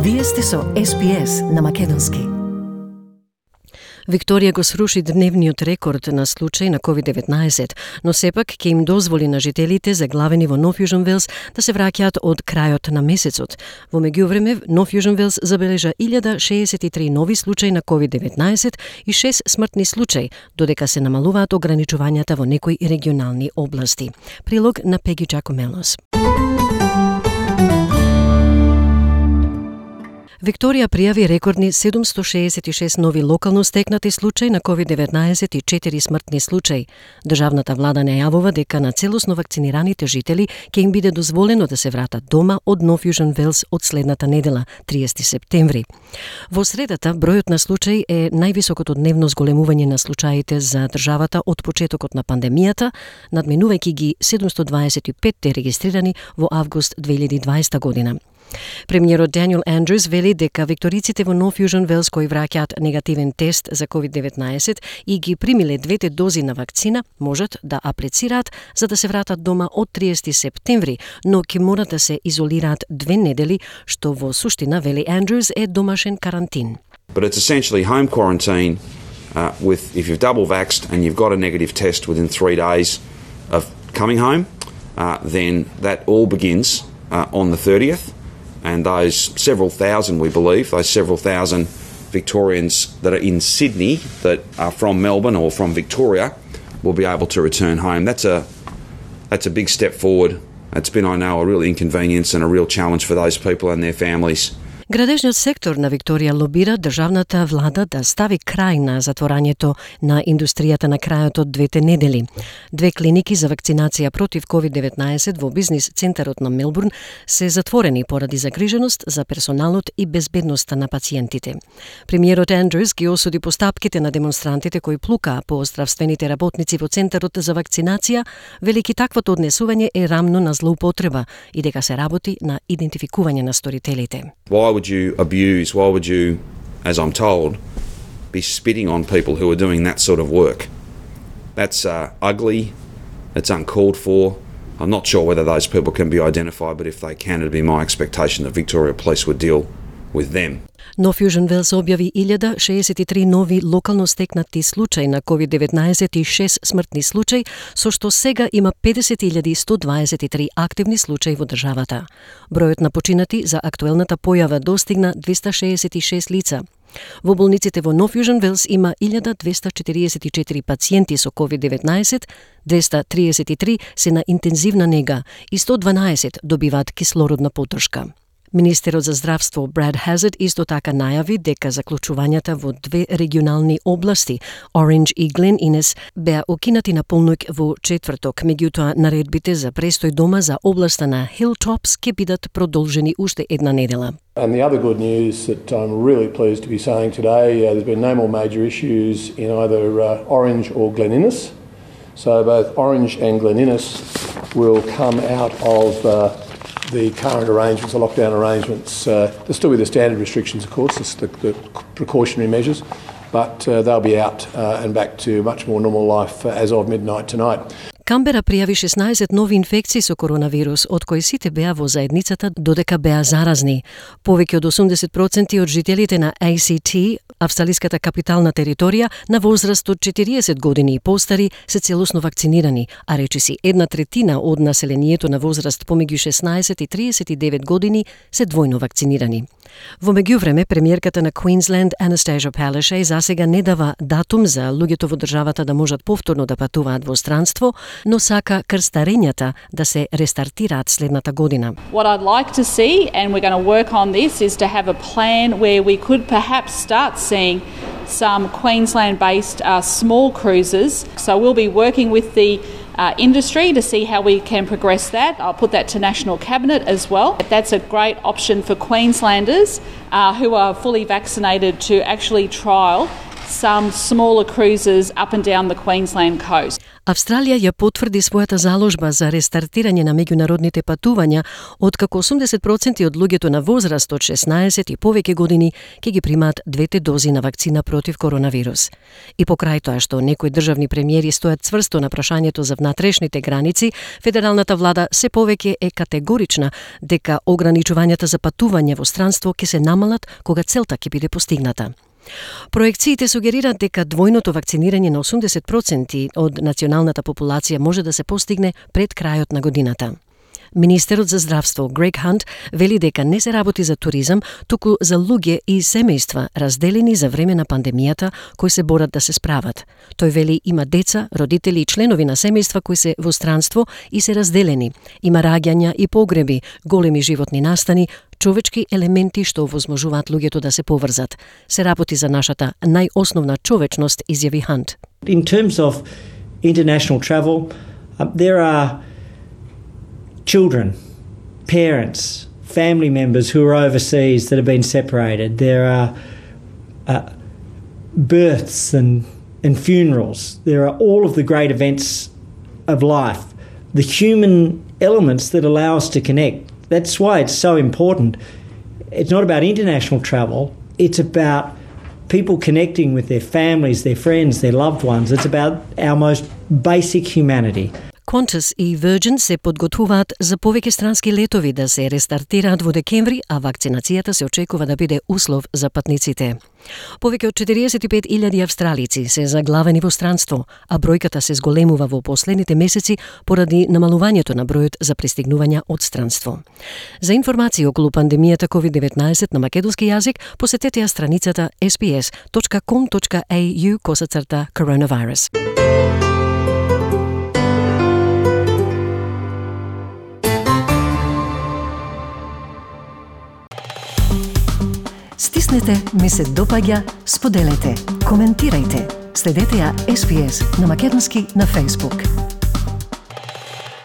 Вие сте со SPS на македонски. Викторија го сруши дневниот рекорд на случаи на COVID-19, но сепак ќе им дозволи на жителите заглавени во Нов Јужен Велс да се враќаат од крајот на месецот. Во меѓувреме, Нов Јужен Велс забележа 1063 нови случаи на COVID-19 и 6 смртни случаи, додека се намалуваат ограничувањата во некои регионални области. Прилог на Пеги Джакомелос. Викторија пријави рекордни 766 нови локално стекнати случаи на COVID-19 и 4 смртни случаи. Државната влада најавува дека на целосно вакцинираните жители ќе им биде дозволено да се вратат дома од Нов Јужен Велс од следната недела, 30 септември. Во средата, бројот на случаи е највисокото дневно зголемување на случаите за државата од почетокот на пандемијата, надминувајќи ги 725 регистрирани во август 2020 година. Премиерот Даниел Андрюс вели дека викториците во Нов Јужен Велс кои враќаат негативен тест за COVID-19 и ги примиле двете дози на вакцина можат да аплицираат за да се вратат дома од 30 септември, но ќе морат да се изолираат 2 недели, што во суштина, вели Андрюс, е домашен карантин. But it's essentially home quarantine with if you've double vaxxed and you've got a negative test within 3 days of coming home, then that all begins on the 30th. And those several thousand, we believe, those several thousand Victorians that are in Sydney that are from Melbourne or from Victoria will be able to return home. That's a big step forward. It's been, I know, a real inconvenience and a real challenge for those people and their families. Градежниот сектор на Викторија лобира државната влада да стави крај на затворањето на индустријата на крајот од 2 недели. 2 клиники за вакцинација против COVID-19 во бизнис центарот на Мелбурн се затворени поради загриженост за персоналот и безбедноста на пациентите. Премиерот Андрюс ги осуди постапките на демонстрантите кои плукаа по здравствените работници во центарот за вакцинација, велики таквото однесување е рамно на злоупотреба и дека се работи на идентификување на сторителите. Why would you, as I'm told, be spitting on people who are doing that sort of work? That's ugly, it's uncalled for. I'm not sure whether those people can be identified, but if they can, it'd be my expectation that Victoria Police would deal with them. Нов Јужен Велс објави 1063 нови локално стекнати случаи на COVID-19 и 6 смртни случаи, со што сега има 50.123 активни случаи во државата. Бројот на починати за актуелната појава достигна 266 лица. Во болниците во Нов Јужен Велс има 1244 пациенти со COVID-19, 233 се на интензивна нега и 112 добиваат кислородна поддршка. Министерот за здравство Брад Хазард исто така најави дека заклучувањата во 2 регионални области, Ориндж и Глен Инес, беа окинати на полноќ во четврток, меѓутоа наредбите за престој дома за областа на Hilltops ќе бидат продолжени уште една недела. And the other good news that I'm really pleased to be saying today, there's been no more major issues in either Orange or Glen Innes. So both Orange and Glen Innes will come out of the current arrangements, the lockdown arrangements. There'll still be the standard restrictions, of course, the precautionary measures, but they'll be out and back to much more normal life as of midnight tonight. Камбера пријави 16 нови инфекции со коронавирус, од кои сите беа во заедницата додека беа заразни. Повеќе од 80% од жителите на ACT, австралиската капитална територија, на возраст од 40 години и постари се целосно вакцинирани, а речиси 1/3 од населението на возраст помеѓу 16 и 39 години се двојно вакцинирани. Во меѓувреме, премиерката на Queensland, Anastasia Palaszczuk, засега не дава датум за луѓето во државата да можат повторно да патуваат во странство, но сака крстарењата да се рестартираат следната година. What I'd like to see, and we're going to work on this, is to have a plan where we could perhaps start seeing some Queensland-based small cruises. So we'll be working with the industry to see how we can progress that. I'll put that to National Cabinet as well. That's a great option for Queenslanders who are fully vaccinated to actually trial some smaller cruises up and down the Queensland coast. Австралија ја потврди својата заложба за рестартирање на меѓународните патувања, откако 80% од луѓето на возраст од 16 и повеќе години ќе ги примаат двете дози на вакцина против коронавирус. И покрај тоа што некои државни премиери стојат цврсто на прашањето за внатрешните граници, федералната влада се повеќе е категорична дека ограничувањата за патување во странство ќе се намалат кога целта ќе биде постигната. Проекциите сугерираат дека двојното вакцинирање на 80% од националната популација може да се постигне пред крајот на годината. Министерот за здравство Грег Хант вели дека не се работи за туризам, туку за луѓе и семејства разделени за време на пандемијата кои се борат да се справат. Тој вели има деца, родители и членови на семејства кои се во странство и се разделени. Има раѓања и погреби, големи животни настани, човечки елементи што овозможуваат луѓето да се поврзат. Се работи за нашата најосновна човечност, изјави Хант. In terms of international travel, there are children, parents, family members who are overseas that have been separated. There are births and funerals. There are all of the great events of life, the human elements that allow us to connect. That's why it's so important. It's not about international travel. It's about people connecting with their families, their friends, their loved ones. It's about our most basic humanity. Qantas и Virgin се подготвуваат за повеќе странски летови да се рестартираат во декември, а вакцинацијата се очекува да биде услов за патниците. Повеќе од 45.000 австралици се заглавени во странство, а бројката се зголемува во последните месеци поради намалувањето на бројот за пристигнувања од странство. За информации околу пандемијата COVID-19 на македонски јазик, посетете ја страницата sps.com.au/coronavirus. Стиснете, ми се допаѓа, споделете, коментирајте. Следете ја SPS на македонски на Facebook.